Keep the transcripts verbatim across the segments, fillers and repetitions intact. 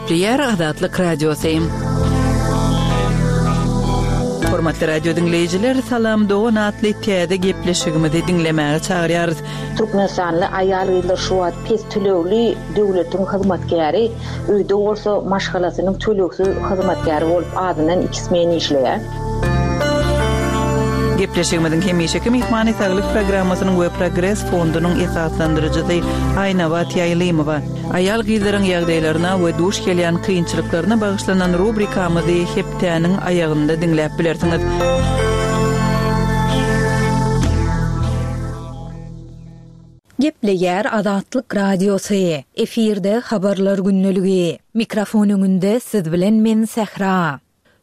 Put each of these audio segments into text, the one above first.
Gepleýär Azatlyk Radiosy. Hormatly radio diňleýjiler, Salam dogan atly täze gepleşigimizi diňlemäge çagyrýarys. Türkmenistanly aýal-gyzlar şu wagt pes tölegli döwletiň hyzmatkäri, öýde bolsa maşgalasynyň tölegsiz hyzmatkäri bolup azyndan iki smen işleýär. Gepleşigimiziň hemişeki myhmany Saglyk programmasynyň we Progres fondunyň esaslandyryjysy Aýnabat Ýaýlymowa. Aýal-gyzlaryň ýagdaýlaryna we duş gelýän kynçylyklaryna bagyşlanan rubrikamyzy hepdäniň aýagynda diňläp bilersiňiz. Gepleýär Azatlyk Radiosy. Efirde habarlar gündeligi. Mikrofon öňünde siz bilen men Sähra.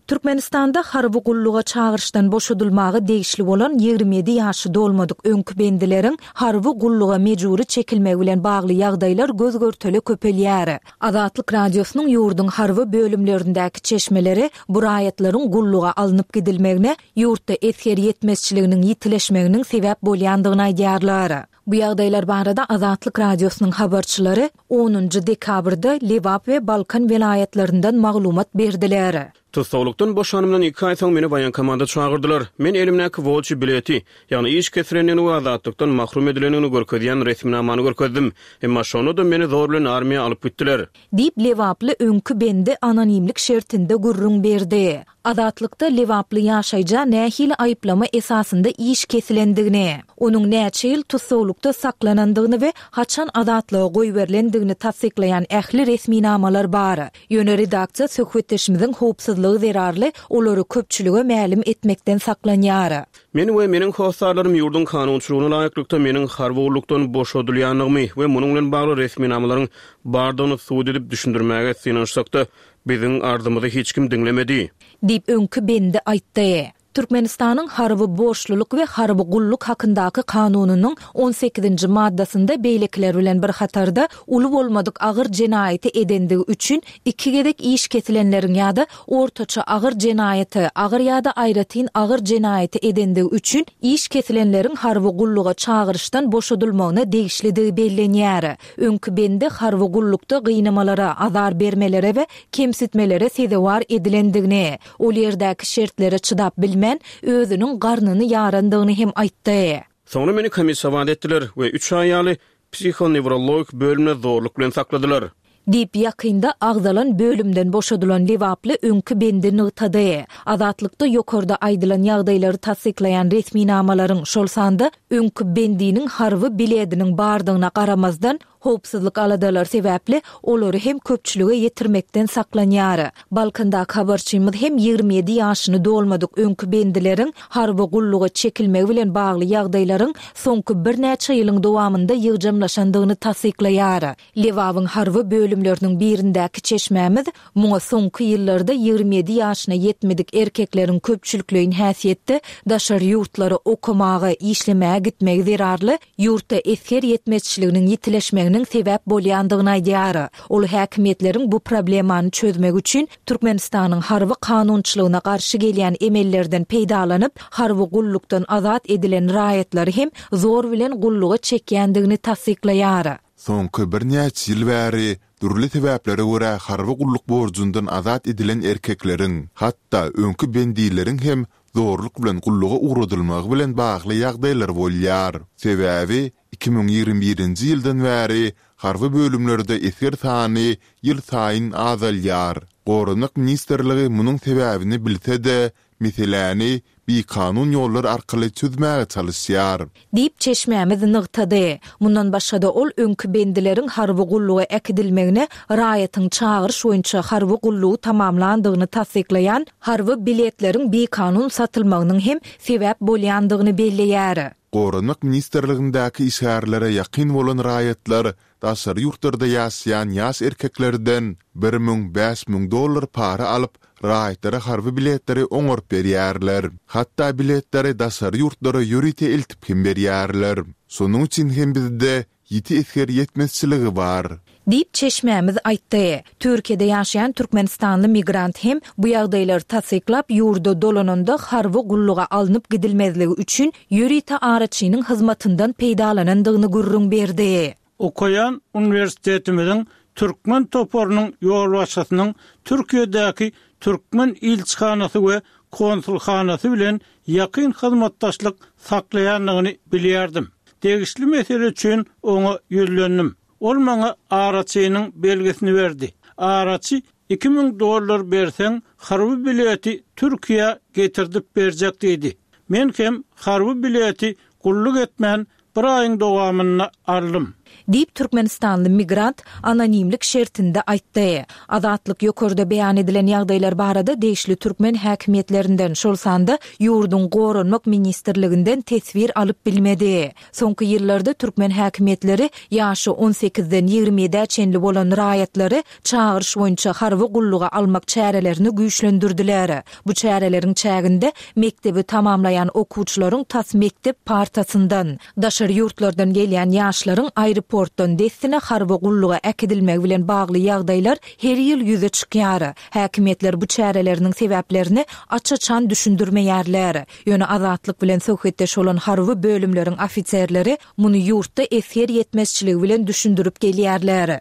Türkmenistanda harby gulluga çagyryşdan boşadylmaga degişli bolan ýigrimi ýedi ýaşy dolmadyk öňki bendileriň harby gulluga mejbury çekilmegi bilen bagly ýagdaýlar göz-görtele köpelýär. Azatlyk Radiosynyň ýurduň harby bölümlerindäki çeşmeleri bu raýatlaryň gulluga alnyp gidilmegine ýurtda esger ýetmezçiliginiň ýitileşmeginiň sebäp bolýandygyny aýdýarlar. Bu ýagdaýlar barada Azatlyk Radiosynyň habarçylary onunjy dekabrda Lebap we Balkan welaýatlaryndan maglumat berdiler. Tussaglykdan boşanymdan iki aý soň meni waýenkomada çagyrdylar. Men elimdäki wolçy bileti, ýagny iş kesilendigini we azatlykdan mahrum edilendigini görkezýän resminamany görkezdim. Emma şonda-da meni zor bilen armiýa alyp gitdiler. Diýip, lebaply öňki bendi anonimlik şertinde gürrüň berdi. Azatlykda lebaply ýaşaýja nähili aýyplama esasynda iş kesilendigini, onuň näçe ýyl tussaglykda saklanandygyny we haçan azatlyga goýberilendigini tassyklaýan ähli resminamalar bar. Ýöne redaksiýa söhbetdeşimiziň howpsuzlygy zerarly olary köpçülige mälim etmekden saklanýar. Men we meniň hossarlarym ýurduň kanunçylygyna laýyklykda meniň harby gullukdan boşadylýandygymy we munuň bilen bagly resminamalaryň bardygyny subut edip düşündirmäge synanyşsak-da, biziň arzymyzy hiç kim diňlemedi. Diýip, öňki bendi aýtdy. Türkmenistanyň harby borçlulyk we harby gulluk hakyndaky kanunynyň on sekizinji maddasynda beýlekiler bilen bir hatarda uly bolmadyk agyr jenaýaty edendigi üçin iki gezek iş kesilenleriň ýa-da ortaça agyr jenaýaty, agyr ýa-da aýratyn agyr jenaýaty edendigi üçin iş kesilenleriň harby gulluga çagyryşdan boşadylmagyna degişlidigi bellenýär. Öňki bende harby gullukda gynamalara, azar bermelere we kemsitmelere sezewar edilendigini, ol ýerdäki şertlere çydap bilmän, özüniň garnyny ýarandygyny hem aýtdy. Soňra meni komissiýa etdiler we üç aý ýaly psihonewrologik bölümde zorluk bilen sakladylar. Diýip, ýakynda agzalan bölümden boşadylan lebaply öňki bendi nygtady. Azatlykda ýokarda aýdylan ýagdaýlary tassyklaýan resminamalaryň, şol sanda öňki bendiniň harby bilediniň bardygyna garamazdan, howpsuzlyk aladalary sebäpli olary hem köpçülige ýetirmekden saklanýar. Balkandaky habarçymyz hem ýigrimi ýedi ýaşyny dolmadyk öňki bendileriň harby gulluga çekilmegi bilen bagly ýagdaýlaryň soňky birnäçe ýylyň dowamynda ýygjamlaşandygyny tassyklaýar. Lebabyň harby bölümleriniň birindäki çeşmämiz muňa soňky ýyllarda ýigrimi ýedi ýaşyna ýetmedik erkekleriň köpçülikleýin häsiýetde daşary ýurtlara okamaga, işlemäge gitmegi zerarly ýurtda esger ýetmezçiliginiň ýitileşmeginiň sebäp bolýandygyny aýdýar. Ol häkimiýetleriň bu problemany çözmek üçin Türkmenistanyň harby kanunçylygyna garşy gelýän emellerden peýdalanyp, harby gullukdan azat edilen raýatlary hem zor bilen gulluga çekýändigini tassyklaýar. Soňky birnäçe ýyl bäri dürli sebäplere görä harby gulluk borjundan azat edilen erkekleriň, hatda öňki bendileriň hem zorluk bilen gulluga ugradylmagy bilen bagly ýagdaýlar bolýar. Sebäbi iki müň ýigrimi birinji ýyldan bäri harby bölümlerde esger sany ýylsaýyn azalýar. Goranmak ministrligi munuň sebäbini bilse-de, meseläni bikanun ýollar arkaly çözmäge çalyşýar. Diýip, çeşmämiz nygtady. Mundan başga-da ol öňki bendileriň harby gulluga äkidilmegine raýatyň çagyryş boýunça harby gullugy tamamlandygyny tassyklaýan harby biletleriň bikanun satylmagynyň hem sebäp bolýandygyny belleýär. Goranmak ministrligindäki işgärlere ýakyn bolan raýatlar daşary ýurtlarda ýaşaýan ýaş erkeklerden bir müň, bäş müň dollar para alyp, raýatlara harby biletleri oňaryp berýärler. Hatda biletleri daşary ýurtlara ýörite eltip hem berýärler. Şonuň üçin hem bizde ýiti esger ýetmezçiligi bar. Diýip, çeşmämiz aýtdy. Türkiýede ýaşaýan türkmenistanly migrant hem bu ýagdaýlary tassyklap, ýurda dolananda harby gulluga alnyp gidilmezligi üçin ýörite araçynyň hyzmatyndan peýdalanandygyny gürrüň berdi. Okaýan uniwersitetimiziň türkmen toparynyň ýolbaşçysynyň Türkiýedäki türkmen ilçihanasy we konsulhanasy bilen ýakyn hyzmatdaşlyk saklaýandygyny bilýärdim. Degişli mesele üçin oňa ýüzlendim. Ol maňa araçynyň belgisini berdi. Araçy iki müň dollar berseň, harby bileti Türkiýä getirdip berjek diýdi. Men hem harby bileti gulluk etmän bir aýyň dowamynda aldym. Diýip, türkmenistanly migrant anonimlik şertinde aýtdy. Azatlyk ýokarda beýan edilen ýagdaýlar barada degişli türkmen häkimiýetlerinden, şol sanda ýurduň Goranmak ministrliginden teswir alyp bilmedi. Soňky ýyllarda türkmen häkimiýetleri ýaşy on sekizden ýigrimi ýedä çenli bolan raýatlary çagyryş boýunça harby gulluga almak çärelerini güýçlendirdiler. Bu çäreleriň çäginde mekdebi tamamlaýan okuwçylaryň tas mekdep partasyndan, daşary ýurtlardan gelýän ýaşlaryň aeroportdan dessine harby gulluga äkidilmegi bilen bagly ýagdaýlar her ýyl ýüze çykýar. Häkimiýetler bu çäreleriniň sebäplerini aç-açan düşündirmeýärler. Ýöne Azatlyk bilen söhbetdeş bolan harby bölümleriň ofiserleri muny ýurtda esger ýetmezçiligi bilen düşündirip gelýärler.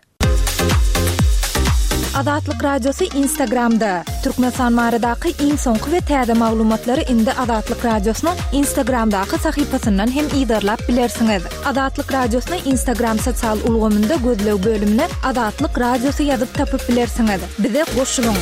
Azatlyk Radiosy Instagramda. Türkmenistan baradaky iň soňky we täze maglumatlary indi Azatlyk Radiosynyň Instagramdaky sahypasyndan hem yzarlap bilersiňiz. Azatlyk Radiosyny Instagram sosial ulgamynda gözleg bölümine Azatlyk Radiosy ýazyp tapyp bilersiňiz. Bize goşulyň.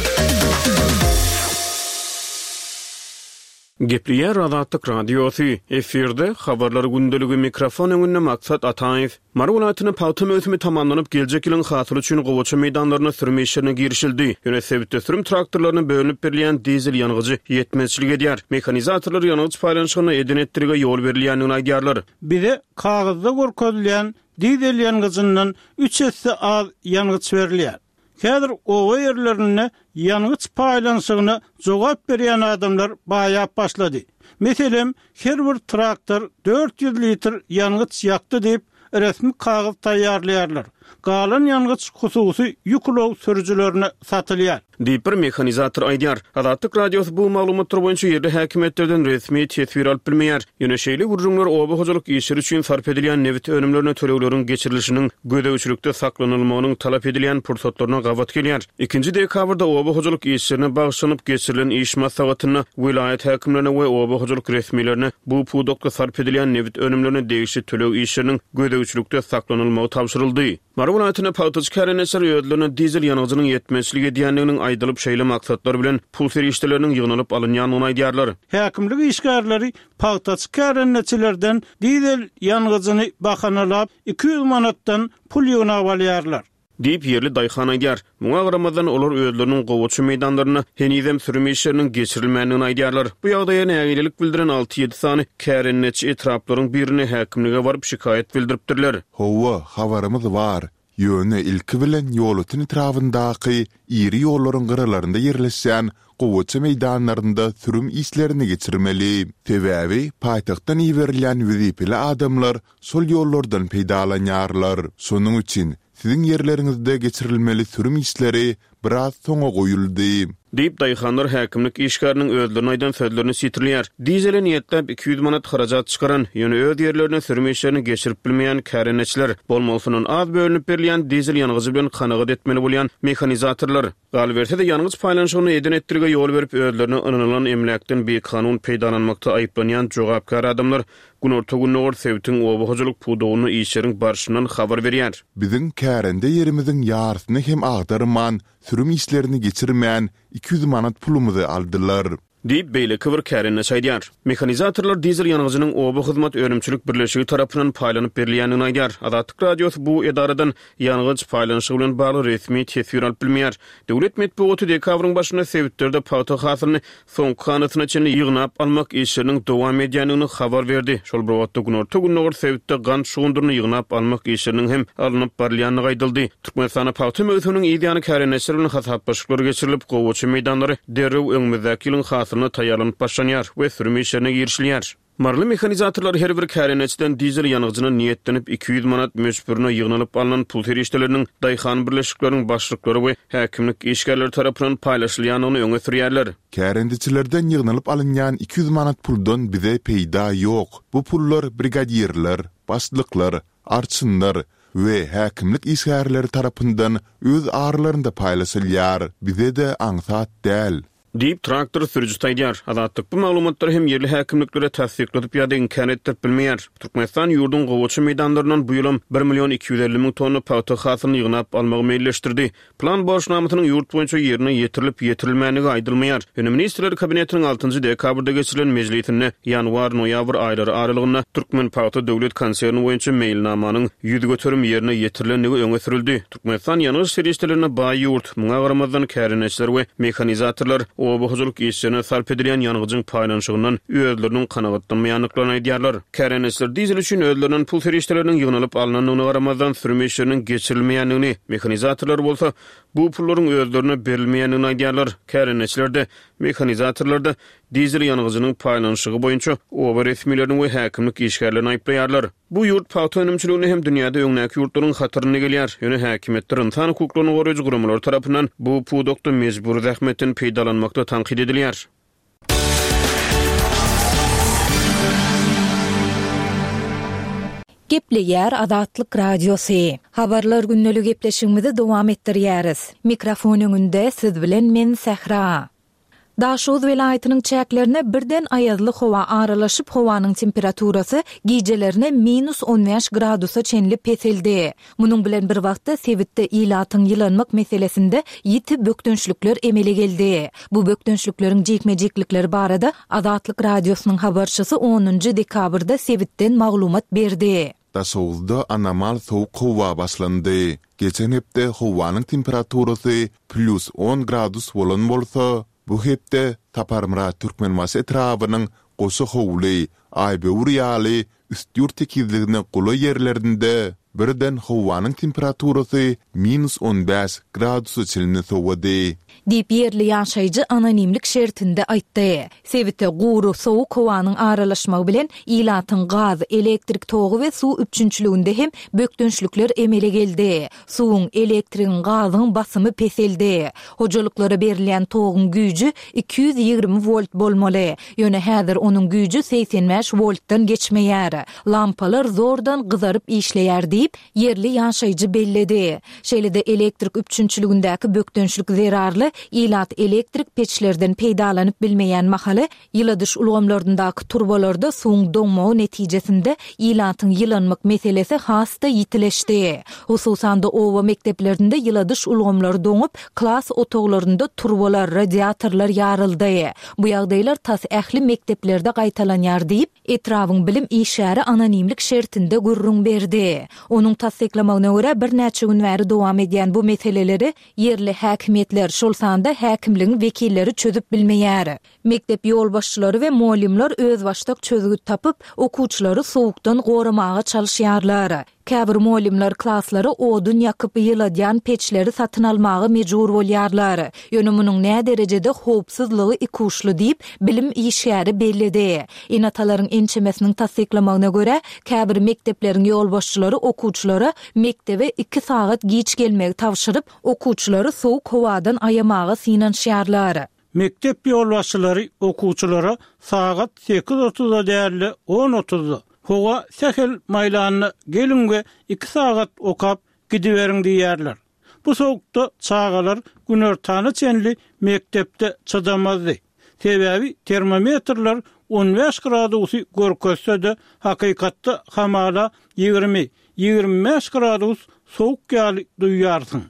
Gepleýär Azatlyk Radiosy, efirde Habarlar gündeligi, mikrofon öňünde Maksat Ataýew. Mary welaýatynda pagta möwsümi tamamlanyp, geljek ýylyň hasyly üçin gowaça meýdanlaryna sürüm işlerine girişildi. Ýöne sebitde sürüm traktorlaryna bölünip berilýän dizel ýangyjy ýetmezçilik edýär. Mehanizatorlar ýangyç paýlanyşygynda eden-etdilige ýol berilýändigini aýdýarlar. Bize kagyzda görkezilýän dizel ýangyjyndan üç esse az ýangyç berilýär. Häzir oba ýerlerinde ýangyç paýlanyşygyna jogap berýän adamlar baýap başlady. Meselem, her bir traktor dört ýüz litr ýangyç ýakdy diýip, resmi kagyz taýýarlaýarlar. Galan ýangyç hususy ýük ulag sürüjilerine satylýar. Diýip bir mehanizator aýdýar. Azatlyk Radiosy bu maglumatlar boýunça ýerli häkimiýetlerden resmi teswir alyp bilmeýär. Ýöne şeýle gürrüňler oba hojalyk işleri üçin sarp edilýän nebit önümlerine tölegleriň geçirilişiniň gözegçilikde saklanylmagynyň talap edilýän pursatlaryna gabat gelýär. Ikinji dekabrda oba hojalyk işlerine bagyşlanyp geçirilen iş maslahatynda welaýat häkimlerine we oba hojalyk resmilerine bu pudakda sarp edilýän nebit önümlerine degişli töleg işleriniň gözegçilikde saklanylmagy tabşyryldy. Mary welaýatynda pagtaçy kärendeçiler özlerine dizel ýangyjynyň ýetmezçilik edýändiginiň aýdylyp şeýle maksatlar bilen pul serişdeleriniň ýygnalyp alynýandygyny aýdýarlar. Häkimlik işgärleri pagtaçy kärendeçilerden dizel ýangyjyny bahanalap iki ýüz manatdan pul ýygnap alýarlar. Diýip ýerli daýhan aýdýar. Muňa garamazdan olar özleriniň gowaça meýdanlarynda henizem sürüm işleriniň geçirilmändigini aýdýarlar. Bu ýagdaýa nägilelik bildiren alty-ýedi sany kärendeçi etraplaryň birine häkimlige baryp şikaýat bildiripdirler. Hawa, habarymyz bar. Ýöne ilki bilen Ýolöten etrabyndaky iri ýollaryň gyralarynda ýerleşýän gowaça meýdanlarynda sürüm işlerini geçirmeli. Sebäbi paýtagtdan iberilýän wezipeli adamlar şol ýollardan peýdalanýarlar. Şonuň üçin siziň ýerleriňizde geçirilmeli sürüm işleri biraz soňa goýuldy. Diýip, daýhanlar häkimlik işgäriniň özlerine aýdan sözlerini sitirleýär. Dizele niýetläp iki ýüz manat harajat çykaran, ýöne öz ýerlerine sürüm işlerini geçirip bilmeýän kärendeçiler, bolmalysyndan az bölünip berilýän dizel ýangyjy bilen kanagat etmeli bolýan mehanizatorlar, galyberse-de ýangyç paýlanyşygyny eden-etdilige ýol berip özlerine ynanylan emläkden bikanun peýdalanmakda aýyplanýan jogapkär adamlar Günorta-Gündogar sebitiň oba hojalyk pudagynda işleriň barşyndan habar berýär. Biziň kärende ýerimiziň ýarysyny hem agdarman, sürüm işlerini geçirmän, iki ýüz manat pulumyzy aldylar. Diýip, beýleki bir kärendeçi aýdýar. Mehanizatorlar dizel ýangyjynyň oba hyzmat önümçilik birleşigi tarapyndan paýlanyp berilýändigini aýdýar. Azatlyk Radiosy bu edaradan ýangyç paýlanyşygy bilen bagly resmi teswir alyp bilmeýär. Döwlet metbugaty dekabryň başynda sebitlerde pagta hasylyny soňky hanasyna çenli ýygnap almak işleriniň dowam edýändigini habar berdi. Şol bir wagtda günorta-gündogar sebitde gant şugundyryny ýygnap almak işleriniň hem alnyp barylýandygy aýdyldy. Türkmenistanda pagta möwsüminiň yz ýany kärendeçiler bilen hasaplaşyklar geçirilip, gowaça meýdanlary derrew öňümizdäki ýylyň hasylyna taýýarlanyp başlanýar we sürüm işlerine girişilýär. Maryly mehanizatorlar her bir kärendeçiden dizel ýangyjyna niýetlenip iki ýüz manat möçberine ýygnalyp alnan pul serişdeleriniň daýhan birleşikleriniň başlyklary we häkimlik işgärleri tarapyndan paýlaşylýandygyny öňe sürýärler. Kärendeçilerden ýygnalyp alynýan iki ýüz manat puldan bize peýda ýok. Bu pullar brigadirler, başlyklar, arçynlar we häkimlik işgärleri tarapyndan öz aralarynda paýlaşylýar. Bize-de aňsat däl. Diýip, traktor sürüjisi aýdýar. Azatlyk bu maglumatlary hem ýerli häkimliklere tassykladyp ýa-da inkär etdirip bilmeýär. Türkmenistan ýurduň gowaça meýdanlaryndan bu ýylam bir million iki ýüz elli müň tonna pagta hasylyny ýygnap almagy meýilleşdirdi. Plan borçnamasynyň ýurt boýunça ýerine ýetirilip ýetirilmändigi aýdylmaýar. Ýöne Ministrler Kabinetiniň altynjy dekabrda geçirilen mejlisinde ýanwar-noýabr aýlary aralygynda Türkmenpagta döwlet konserni boýunça meýilnamanyň ýüz göterim ýerine ýetirilendigi öňe sürüldi. Türkmenistan ýangyç serişdelerine baý ýurt. Muňa garamazdan kärendeçiler we mehanizatorlar oba hojalyk işlerine sarp edilýän ýangyjyň paýlanyşygyndan özleriniň kanagatlanmaýandyklaryny aýdýarlar. Kärendeçiler dizel üçin özlerinden pul serişdeleriniň ýygnalyp alnandygyna garamazdan sürüm işleriniň geçirilmeýändigini, mehanizatorlar bolsa bu pullaryň özlerine berilmeýändigini aýdýarlar. Kärendeçiler de, mehanizatorlar da dizel ýangyjynyň paýlanyşygy boýunça oba resmilerini we häkimlik işgärlerini aýyplaýarlar. Bu ýurt pagta önümçiliginde hem dünýäde öňdäki ýurtlaryň hatarynda gelýär. Ýöne häkimiýetler insan hukuklaryny goraýjy guramalar tarapyndan bu pudakda mejbur zähmetden peýdalanmakda tankyt edilýär. Gepleýär Azatlyk Radiosy. Habarlar gündelik gepleşigimizi dowam etdirýäris. Mikrofon öňünde siz bilen men Sähra. Daşoguz welaýatynyň çäklerine birden aýazly howa aralaşyp, howanyň temperaturasy gijelerine minus on bäş gradusa çenli peseldi. Munuň bilen bir wagtda sebitde ilatyň ýylanmak meselesinde ýiti bökdençlikler emele geldi. Bu bökdençlikleriň jikme-jiklikleri barada Azatlyk Radiosynyň habarçysy onunjy dekabrda sebitden maglumat berdi. Daşoguzda anomal sowuk howa başlandy. Geçen hepde howanyň temperaturasy plus on gradus bolan bolsa, bu hepde Saparmyrat Türkmenbaşy etrabynyň Goşa howly, Aýböwür ýaly üst-ýurt tekizligine golaý ýerlerinde birden howanyň temperaturasy minus on bäş gradusa çenli sowady. Diýip ýerli ýaşaýjy anonimlik şertinde aýtdy. Sebite gury sowuk howanyň aralaşmagy bilen ilatyň gaz, elektrik togy we suw üpjünçiliginde hem bökdençlikler emele geldi. Suwuň, elektrigiň, gazyň basymy peseldi. Hojalyklara berilýän toguň güýji iki ýüz ýigrimi volt bolmaly. Ýöne häzir onuň güýji segsen bäş voltdan geçmeýär. Lampalar zordan gyzaryp işleýär diýip, ýerli ýaşaýjy belledi. Şeýle-de elektrik üpjünçiligindäki bökdençlik zerarly ilat elektrik peçlerden peýdalanyp bilmeýän mahaly ýyladyş ulgamlaryndaky turbalarda suwuň doňmagy netijesinde ilatyň ýylanmak meselesi has-da ýitileşdi. Hususan-da oba mekdeplerinde ýyladyş ulgamlary doňup, klas otaglarynda turbalar, radiatorlar ýaryldy. Bu ýagdaýlar tas ähli mekdeplerde gaýtalanýar diýip, etrabyň bilim işgäri anonimlik şertinde gürrüň berdi. Onuň tassyklamagyna görä birnäçe gün bäri dowam edýän bu meseleleri ýerli häkimiýetler, şol sanda häkimligiň wekilleri çözüp bilmeýär. Mekdep ýolbaşçylary we mugallymlar özbaşdak çözgüt tapyp, okuwçylary sowukdan goramaga çalyşýarlar. Käbir mugallymlar klaslara odun ýakyp ýyladýan peçleri satyn almaga mejbur bolýarlar. Ýöne munuň nä derejede howpsuzlygy ikuşly diýip, bilim işgäri belledi. Ene-atalaryň ençemesiniň tassyklamagyna görä, käbir mekdepleriň ýolbaşçylary okuwçylara mekdebe iki sagat giç gelmegi tabşyryp, okuwçylary sowuk howadan aýamaga synanyşýarlar. Mekdep ýolbaşçylary okuwçylara sagat sekiz otuzda däl-de on otuzda howa sähel maýlanyna geliň we iki sagat okap gidiberiň diýýärler. Bu sowukda çagalar günortana çenli mekdepde çydamazdy. Sebäbi termometrler on bäş gradusy görkezse-de, hakykatda hamala ýigrimi, ýigrimi bäş gradus sowuk ýaly duýýarsyň.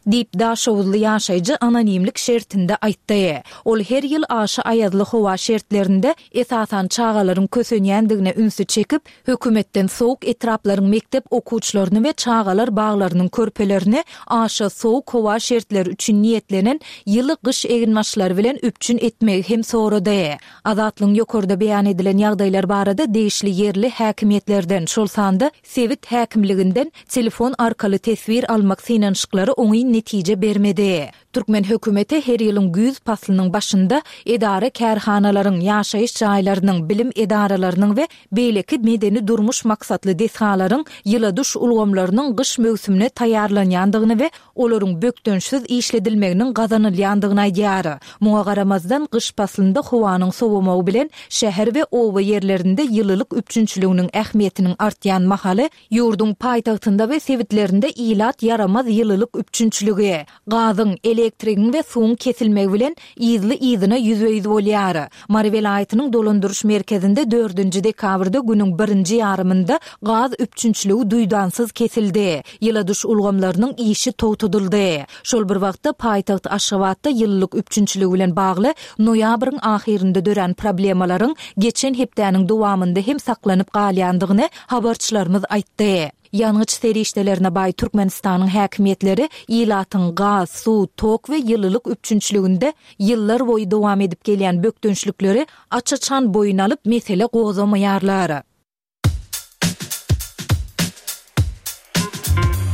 Diýip Daşoguzly ýaşaýjy anonimlik şertinde aýtdy. Ol her ýyl aşa aýazly howa şertlerinde esasan çagalaryň kösenýändigine ünsi çekip, hökümetden sowuk etraplaryň mekdep okuwçylaryny we çagalar baglarynyň körpelerini aşa sowuk howa şertleri üçin niýetlenen ýyly gyş eginbaşlary bilen üpjün etmegi hem sorady. Azatlygyň ýokarda beýan edilen ýagdaýlar barada degişli ýerli häkimiýetlerden, şol sanda sebit häkimliginden telefon arkaly teswir almak synanyşyklary oňyn netije bermedi. Türkmen hökümeti her ýylyň güýz paslynyň başynda edara-kärhanalaryň, ýaşaýyş jaýlarynyň, bilim edaralarynyň we beýleki medeni-durmuş maksatly desgalaryň ýyladyş ulgamlarynyň gyş möwsümine taýýarlanýandygyny we olaryň bökdençsiz işledilmeginiň gazanylýandygyny aýdýar. Muňa garamazdan, gyş paslynda howanyň sowamagy bilen şäher we oba ýerlerinde ýylylyk üpjünçiliginiň ähmiýetiniň artýan mahaly, ýurduň paýtagtynda we sebitlerinde ilat ýaramaz ýylylyk üpjünçiligi, gazyň, elektrigiň we suwuň kesilmegi bilen yzly-yzyna ýüzbe-ýüz bolýar. Mary welaýatynyň dolandyryş merkezinde dördünji dekabrda günüň birinji ýarymynda gaz üpjünçiligi duýdansyz kesildi, ýyladyş ulgamlarynyň işi togtadyldy. Şol bir wagtda, paýtagt Aşgabatda ýylylyk üpjünçiligi bilen bagly noýabryň ahyrynda dörän problemalaryň geçen hepdäniň dowamynda hem saklanyp galýandygyny habarçylarymyz aýtdy. Ýangyç serişdelerine baý Türkmenistanyň häkimiýetleri ilatyň gaz, suw, tok we ýylylyk üpjünçiliginde ýyllar boýy dowam edip gelýän bökdençlikleri aç-açan boýun alyp, mesele gozgamaýarlar.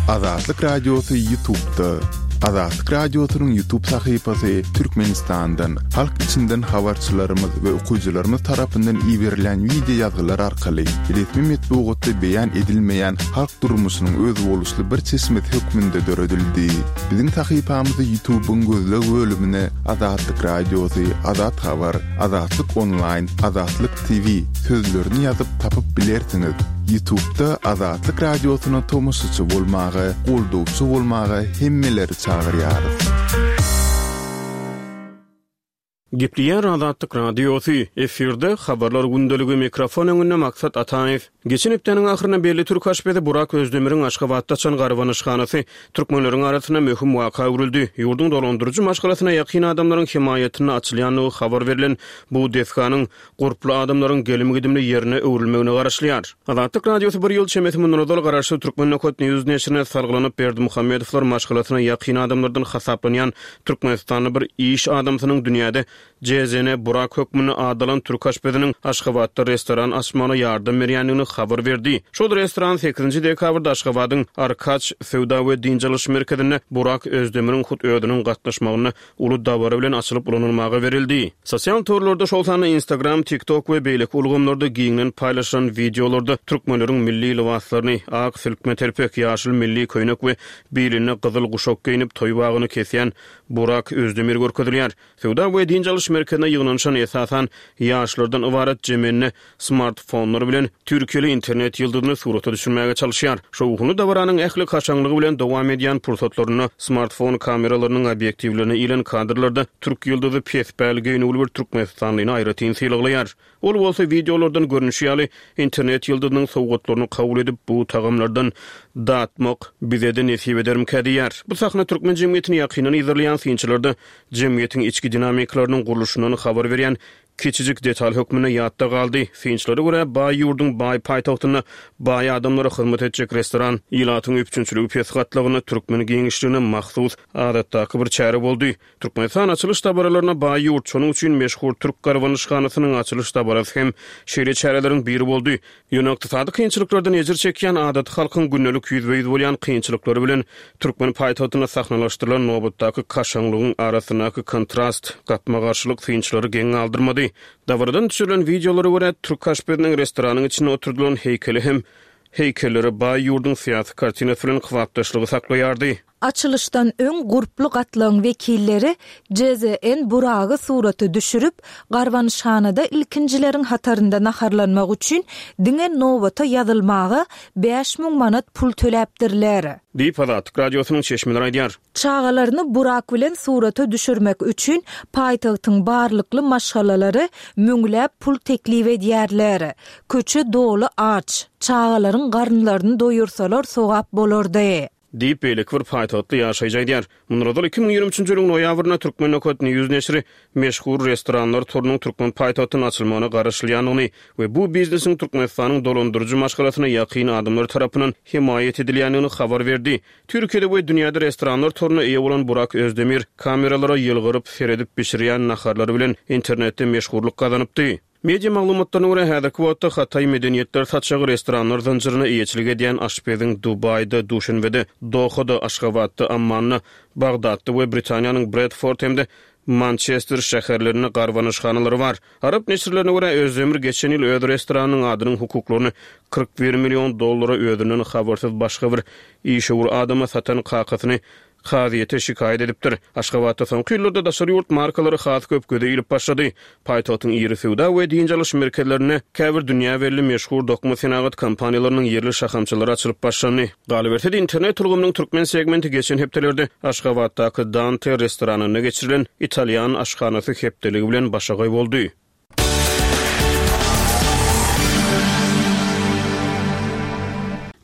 Azatlyk Radiosy Ýutubda. Azatlyk Radiosynyň Ýutub sahypasy Türkmenistandan, halk içinden habarçylarymyz we okyjylarymyz tarapyndan iberilen wideo ýazgylar arkaly resmi metbugatda beýan edilmeýän halk durmuşynyň özboluşly bir çeşmesi hökmünde döredildi. Biziň sahypamyzy Ýutubyň gözleg bölümine Azatlyk Radiosy, Azat Habar, Azatlyk Onlaýn, Azatlyk T V sözlerini ýazyp tapyp bilersiňiz. Ýutubda Azatlyk Radiosyna tomaşaçy bolmaga, goldawçy bolmaga hemmeleri çagyrýarys. Gepleýär Azatlyk Radiosy, efirde Habarlar gündeligi, mikrofon öňünde Maksat Ataýew. Geçen hepdäniň ahyrynda belli türk aşpezi Burak Özdemiriň Aşgabatda açan garbanyşhanasy türkmenleriň arasynda möhüm waka öwrüldi. Ýurduň dolandyryjy maşgalasyna ýakyn adamlaryň hemaýatynda açylýandygy habar berlen bu desganyň gurply adamlaryň gelim-gidimli ýerine öwrülmegine garaşylýar. Azatlyk Radiosy bir ýyl çemesi mundan ozal garaşsyz Türkmen Nokat News neşirine salgylanyp Berdimuhamedowlar maşgalasyna ýakyn adamlardan hasaplanýan Türkmenistanly bir iş adamsynyň dünýäde J Z N Burak hökmünde adalan türk aşpeziniň Aşgabatda restoran açmagyna ýardam berýändigini habar berdi. Şol restoran sekizinji dekabrda Aşgabadyň Arkaç söwda we dynç alyş merkezinde Burak Özdemiriň hut özüniň gatnaşmagynda uly dabara bilen açylyp ulanylmaga berildi. Sosial torlarda, şol sanda Instagram, TikTok we beýleki ulgamlarda giňden paýlaşylan wideolarda türkmenleriň milli lybaslaryny, ak silkme telpek, ýaşyl milli köýnek we bilinde gyzyl guşak geýnip toý bagyny kesýän Burak Özdemir görkezilýär. Söwda we dynç alyş merkezine ýygnanyşan esasan ýaşlardan ybarat jemende smartfonlar bilen Türkiýeli internet ýyldyzyny surata düşürmäge çalışýar. Şowhunly dabaranyň ähli kaşaňlygy bilen dowam edýän pursatlarynda smartfon kameralarynyň obýektiwlerine ilen kadrlarda türk ýyldyzy pespäl geýnüwli bir Türkmenistanlyny aýratyn sylaglaýar. Ol bolsa wideolardan görnüşi ýaly internet ýyldyzynyň sowgatlaryny kabul edip bu tagamlardan datmak bize-de nesip edermikä diýýär. Bu sahna türkmen jemgyýetini ýakyndan yzarlaýan synçylarda jemgyýetiň içki dinamikalarynyň gurluşyndan habar berýän kiçijik detal hökmünde ýatda galdy. Synçylara görä baý ýurduň baý paýtagtynda baý adamlara hyzmat etjek restoran ilatyň üpjünçiligi pes gatlagyna türkmen giňişligine mahsus adatdaky bir çäre boldy. Türkmenistan açylyş dabaralaryna baý ýurt, şonuň üçin meşhur türk garbanyşhanasynyň açylyş dabarasy hem şeýle çäreleriň biri boldy. Ýöne ykdysady kynçylyklardan ejir çekýän adaty halkyň gündelik ýüzbe-ýüz bolýan kynçylyklary bilen türkmen paýtagtynda sahnalaşdyrylan nobatdaky kaşaňlygyň arasyndaky kontrast, gapma-garşylyk synçylary geň galdyrmady. Dabaradan düşürilen wideolara görä türk aşpeziniň restoranyň içinde oturdylan heýkeli hem heýkelleri baý ýurduň syýasy kartinasy bilen kybapdaşlygy saklaýardy. Açylyşdan öň gurply gatlagyň wekilleri J Z N Buragy surata düşürip, garbanyşhanada ilkinjileriň hatarynda naharlanmak üçin diňe nobata ýazylmaga bäş müň manat pul töläpdirler. Diýip Azatlyk Radiosynyň çeşmeleri aýdýar. Çagalaryny Burak bilen surata düşürmek üçin paýtagtyň barlykly maşgalalary müňläp pul teklip edýärler. Köçe doly aç, çagalaryň garynlaryny doýursalar sogap bolardy. Diýip beýleki bir paýtagtly ýaşaýjy aýdýar. Mundan ozal iki müň ýigrimi üçünji ýylyň noýabrynda Türkmen Nokat News neşiri meşhur restoranlar torunyň türkmen paýtagtyna açylmagyna garaşylýandygyny we bu biznesiň Türkmenistanyň dolandyryjy maşgalasyna ýakyn adamlar tarapyndan hemaýat edilýändigini habar berdi. Türkiýede we dünýäde restoranlar toruna eýe bolan Burak Özdemir kameralara ýylgyryp seredip bişirýän naharlary bilen internetde meşhurlyk gazanypdy. Media maglumatlaryna görä, häzirki wagtda Hataý medeniýetler saçagy restoranlar zynjyryna eýeçilik edýän aşpeziň Dubaýda, Duşenbede, Dohada, Aşgabatda, Ammanda, Bagdatda we Britaniýanyň Bredford hem-de Mançester şäherlerinde garbanyşhanalary bar. Arap neşirlerine görä, Özdemir geçen ýyl öz restoranynyň adynyň hukuklaryny kyrk bir million dollara özünden habarsyz başga bir işewür adama satan kakasyny kazyýete şikaýat edipdir. Aşgabatda soňky ýyllarda daşary ýurt markalary has köp göze ilip başlady. Paýtagtyň iri söwda we dynç alyş merkezlerinde käbir dünýä belli meşhur dokma senagat kompaniýalarynyň ýerli şahamçalary açylyp başlandy. Galyberse-de, internet ulgamynyň türkmen segmenti geçen hepdelerde Aşgabatdaky Dante restoranynda geçirilen italýan aşhanasy hepdeligi bilen başagaý boldy.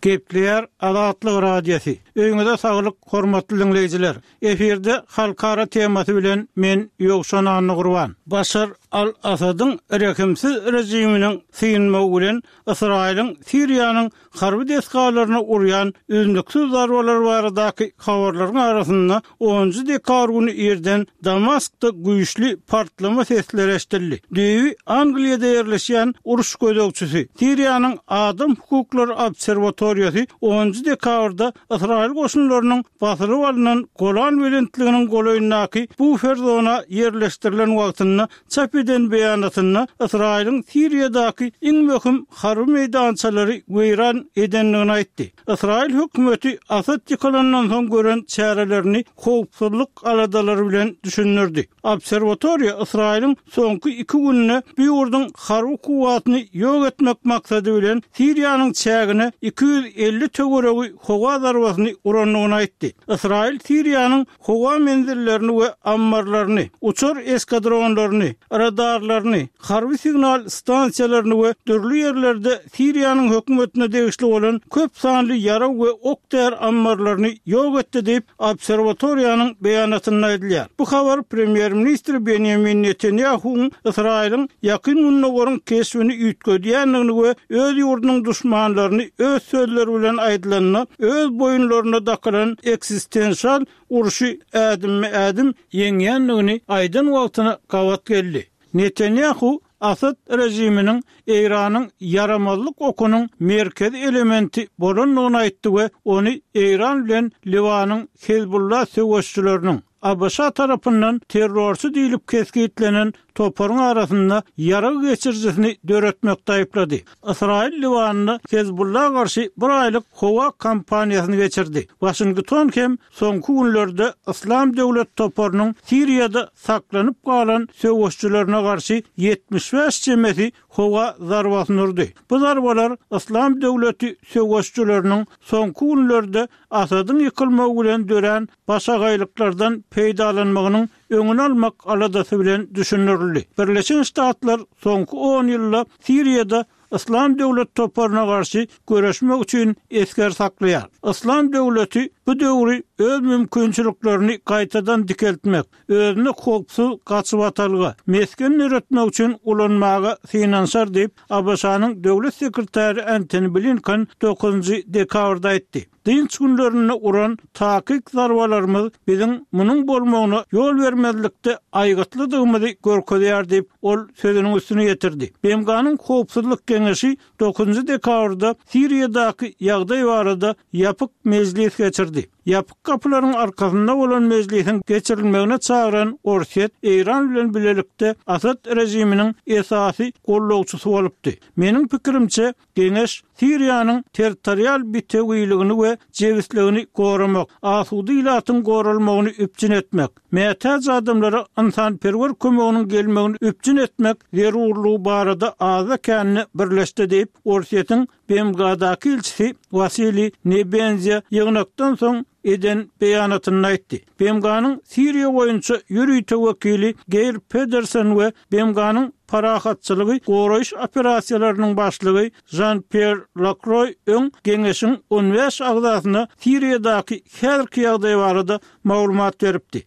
Gepleýär Azatlyk Radiosy. Öýüňize saglyk, hormatly diňleýjiler. Efirde halkara temasy bilen men Ýowşan Annagurban. Başar al-Asadyň rehimsiz režiminiň synmagy bilen Ysraýylyň Siriýanyň harby desgalaryna urýan üznüksiz zarbalary baradaky habarlaryň arasynda onunjy dekabr güni irden Damaskda güýçli partlama sesleri eşidildi. Düýbi Angliýada ýerleşýän uruş gözegçisi, Siriýanyň Adam hukuklary obserwatoriýasy onunjy dekabrda Ysraýyl goşunlarynyň basylyp alnan Golan belentliginiň golaýyndaky bufer zona ýerleşdirilen wagtynda çap eden beýanatynda Ysraýylyň Siriýadaky iň möhüm harby meýdançalary weýran edendigini aýtdy. Ysraýyl hökümeti Asad ýykylandan soň gören çärelerini howpsuzlyk aladalary bilen düşündirdi. Obserwatoriýa Ysraýylyň soňky iki günde bu ýurduň harby kuwwatyny ýok etmek maksady bilen Siriýanyň çägine iki ýüz elli töweregi howa zarbasyny urandygyny aýtdy. Ysraýyl Siriýanyň howa menzillerini we ammarlaryny, uçar eskadronlaryny, radarlaryny, harby signal stansiýalaryny we dürli ýerlerde Siriýanyň hökümetine degişli bolan köp sanly ýarag we ok-däri ammarlaryny ýok etdi diýip, obserwatoriýanyň beýanatynda aýdylýar. Bu habar premýer-ministr Benýamin Netanýahuwyň Ysraýylyň Ýakyn Gündogaryň keşbini üýtgedýändigini we öz ýurdunyň duşmanlaryny öz sözleri bilen aýdylanda öz boýunlaryna dakylan ekzistensial urşy ädimme-ädim ýeňýändigini aýdan wagtyna gabat geldi. Netanýahu Asad režiminiň Eýranyň ýaramazlyk okunyň merkezi elementi bolandygyny aýtdy we ony Eýran bilen Liwanyň Hezbollah söweşçileriniň, ABŞ tarapyndan terrorçy diýlip kesgitlenen toparyň arasynda ýarag geçirijisini döretmekde aýyplady. Ysraýyl Liwanda Hezbollah garşy bir aýlyk howa kampaniýasyny geçirdi. Waşington hem soňky günlerde Yslam döwlet toparynyň Siriýada saklanyp galan söweşçilerine garşy ýetmiş bäş çemesi howa zarbasyny urdy. Bu zarbalar Yslam döwleti söweşçileriniň soňky günlerde Asadyň ýykylmagy bilen dörän başagaýlyklardan peýdalanmagynyň öňüni almak aladasy bilen düşündirildi. Birleşen Ştatlar soňky on ýylda Siriýada Yslam döwlet toparyna garşy göreşmek üçin esger saklaýar. Yslam döwleti bu döwri öz mümkinçiliklerini gaýtadan dikeltmek, özüne howpsuz gaçybatalga, mesgen döretmek üçin ulanmaga synanyşar diýip, ABŞ-nyň Döwlet sekretary Antony Blinken dokuzynjy dekabrda aýtdy. Dynç günlerinde uran takyk zarbalarymyz biziň munuň bolmagyna ýol bermezlikde aýgytlydygymyzy görkezýär diýip, ol sözüniň üstüni ýetirdi. B M G-nyň Howpsuzlyk Geňeşi dokuzynjy dekabrda Siriýadaky ýagdaý barada ýapyk mejlis geçirdi. Ýapyk gapylaryň arkasynda bolan mejlisiň geçirilmegine çagyran Orsýet Eýran bilen bilelikde Asad režiminiň esasy gollagçysy bolupdy. Meniň pikirimçe, Geňeş Siriýanyň territorial bitewiligini we jebisligini goramak, asuda ilatyň goralmagyny üpjün etmek, mätäç adamlara ynsanperwer kömeginiň gelmegini üpjün etmek zerurlygy barada azda-kände birleşdi diýip, Orsýetiň B M G-daky ilçisi Wasiliý Nebenzýa ýygnakdan soň eden beýanatynda aýtdy. B M G-nyň Siriýa boýunça ýörite wekili Geir Pedersen we B M G-nyň parahatçylygy goraýyş operasiýalarynyň başlygy Žan-Pýer Lakroý öň geňeşiň on bäş agzasyna Siriýadaky häzirki ýagdaý barada maglumat beripdi.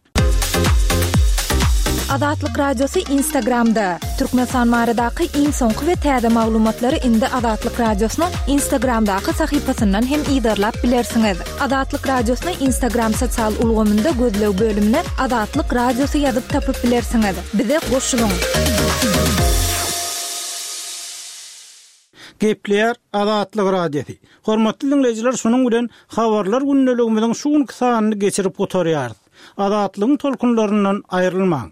Azatlyk Radiosy Instagramda. Türkmenistan baradaky iň soňky we täze maglumatlary indi Azatlyk Radiosynyň Instagramdaky sahypasyndan hem yzarlap bilersiňiz. Azatlyk Radiosyny Instagram sosial ulgamynda gözleg bölümine Azatlyk Radiosy ýazyp tapyp bilersiňiz. Bize goşulyň. Gepleýär Azatlyk Radiosy. Hormatly diňleýjiler, şunuň bilen Habarlar gündeligimiziň şu günki sanyny geçirip gutarýarys. Azatlygyň tolkunlaryndan aýrylmaň.